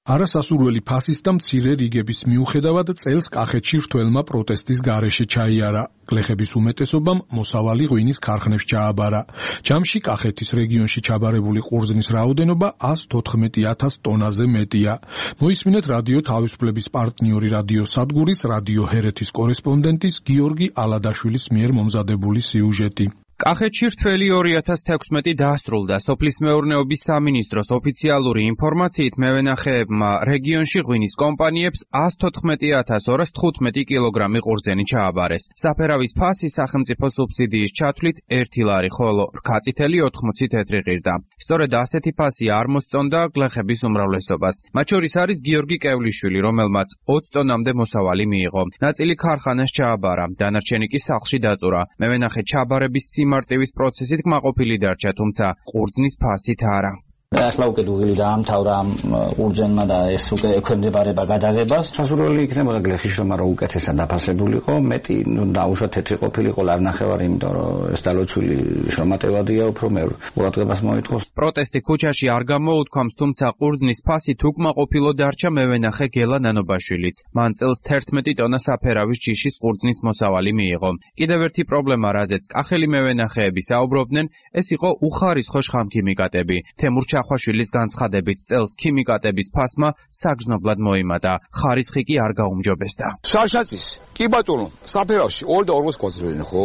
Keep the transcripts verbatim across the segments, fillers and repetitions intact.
არასასურველი ფასის და მცირე რიგების მიუხედავად წელს კახეთში რთველმა პროტესტის გარეშე ჩაიარა. გლეხების უმეტესობამ მოსავალი ღვინის ქარხნებს ჩააბარა. ჯამში კახეთის რეგიონში ჩაბარებული ყურძნის რაოდენობა ას თოთხმეტი ათას ტონაზე მეტია. მოისმინეთ რადიო თავისუფლების პარტნიორი რადიოსადგურის რადიო ჰერეთის კორესპონდენტის გიორგი ალადაშვილის მიერ მომზადებული სიუჟეტი. კახეთში რთველი ორი ათას თექვსმეტი დასრულდა. სოფლის მეურნეობის სამინისტროს ოფიციალური ინფორმაციით მევენახეებმა რეგიონში ღვინის კომპანიებს ას თოთხმეტი ათას ორას თხუთმეტი კილოგრამი ყურძენი ჩააბარეს. საფერავის ფასი სახელმწიფო სუბსიდიის ჩათვლით ერთი ლარი, ხოლო რქაწითელი ოთხმოცი თეთრი ღირდა. სწორედ ასეთი ფასი არ მოსწონდა გლეხების უმრავლესობას. მათ შორის არის გიორგი კევლიშვილი, რომელმაც ოცი ტონამდე მოსავალი მიიღო. ნაწილი ქარხანას ჩააბარა, დანარჩენი კი სახლში დაწურა. მევენახე ჩაბარების მარტივის პროცესით კმაყოფილი დარჩა, თუმცა ყურძნის ფასით არა. ახლა უკვე დუღილი დაამთავრა ამ ყურძენმა და ეს უკვე ექვემდებარება გადაღებას. სასურველი იქნება გლეხის რომ არა უკეთესად დაფასებულიყო, მეტი ნუ დაუშვათ თეთრი ყოფილიყო ლარნახევარი, იმიტომ რომ ეს დალოცვილი შრომატევადია, უფრო მე ყურადღებას მოითხოვს. პროტესტი ქუჩაში არ გამოუთქვამს, თუმცა ყურძნის ფასით უკმაყოფილო დარჩა მევენახე გელა ნანობაშვილიც. მან წელს თერთმეტი ტონა საფერავის ჯიშის ყურძნის მოსავალი მიიღო. კიდევ ერთი პრობლემა, რაზეც კახელი მევენახეები საუბრობდნენ, ეს იყო უხარისხო შხამქიმიკატები. თემურ ჩახვაშვილის განცხადებით წელს ქიმიკატების ფასმა საგრძნობლად მოიმატა. ხარისხი კი არ გაუმჯობესდა. შარშაწის, კი ბატონო, საფერავში ორი და ორმოცი გვაძლევენ, ხო?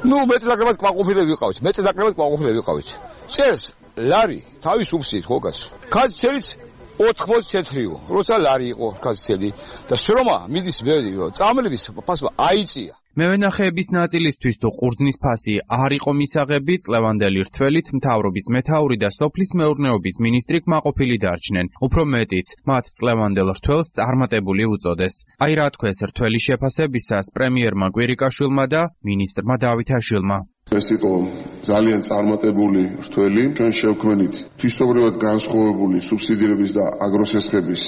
ნუ მეტნაკლებად კმაყოფილები ვიყავით, მეტნაკლებად კმაყოფილები ვიყავით. წელს ლარი თავის სუბსიდიით ხო გას. ქაცელიც ოთხმოცი თეთრიო, როცა ლარი იყო ქაცელი და შრომა მიდის ბევრი, წამლების ფასმა აიწია. მევენახეების ნაწილისთვის თუ ყურძნის ფასი არ იყო მისაღები, წლევანდელი რთველით მთავრობის მეთაური და სოფლის მეურნეობის მინისტრი კმაყოფილი დარჩნენ. უფრო მეტიც, მათ წლევანდელ რთველს წარმატებული უწოდეს. აი რა თქვეს რთველის შეფასებისას პრემიერმა კვირიკაშვილმა და მინისტრმა დავითაშვილმა. ეს იყო ძალიან წარმატებული რთველი, ჩვენ შევქმნით თვისობრივად განსხვავებული სუბსიდირების და აგროსესხების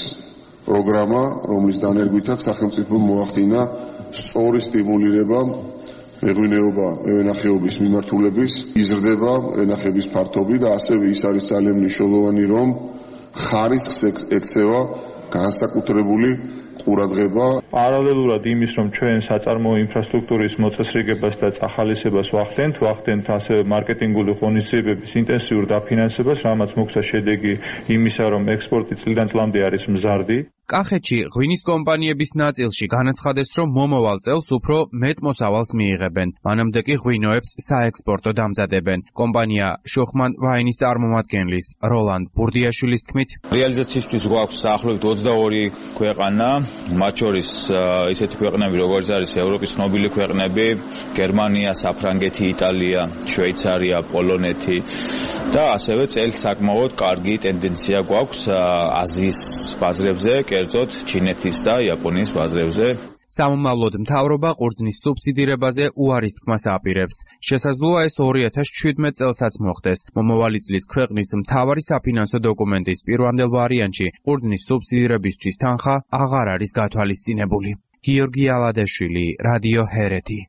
პროგრამა, რომლის დანერგვითაც სახელმწიფომ მოახდინა სწორი სტიმულირება მეღვინეობა, მევენახეობის მიმართულების, იზრდება მევენახეების ფართობი და ასევე ის არის ძალიან მნიშვნელოვანი, რომ ხარისხს ექცევა განსაკუთრებული ყურადღება. პარალელურად იმის, რომ ჩვენ საწარმოო ინფრასტრუქტურის მოწესრიგებას და წახალისებას ვახდენთ, ვახდენთ ასევე მარკეტინგული ღონისძიებების ინტენსიურ დაფინანსებას, რამაც მოგვცა შედეგი იმისა, რომ ექსპორტი წლიდან წლამდე არის მზარდი. კახეთში ღვინის კომპანიების ნაწილში განაცხადეს, რომ მომავალ წელს უფრო მეტ მოსავალს მიიღებენ. მანამდე კი ღვინოებს საექსპორტო დამზადებენ. კომპანია შოხმან ვაინის წარმომადგენლის როლანდ ბურდიაშვილის თქმით, რეალიზაციისთვის გვაქვს დაახლოებით ოცდაორი ქვეყანა, მათ შორის ისეთი ქვეყნები, როგორც არის ევროპის ცნობილი ქვეყნები, გერმანია, საფრანგეთი, იტალია, შვეიცარია, პოლონეთი და ასევე წელს საკმაოდ კარგი ტენდენცია გვაქვს აზიის ბაზრებზე, კერძოდ ჩინეთის და იაპონიის ბაზრებზე. სამომავლოდ მთავრობა ყურძნის სუბსიდირებაზე უარის თქმას აპირებს. შესაძლოა ეს ორი ათას ჩვიდმეტ წელსაც მოხდეს. მომავალი წლის ქვეყნის მთავარი საფინანსო დოკუმენტის პირვანდელ ვარიანტში ყურძნის სუბსიდირებისთვის თანხა აღარ არის გათვალისწინებული. გიორგი ალადაშვილი, რადიო ჰერეთი.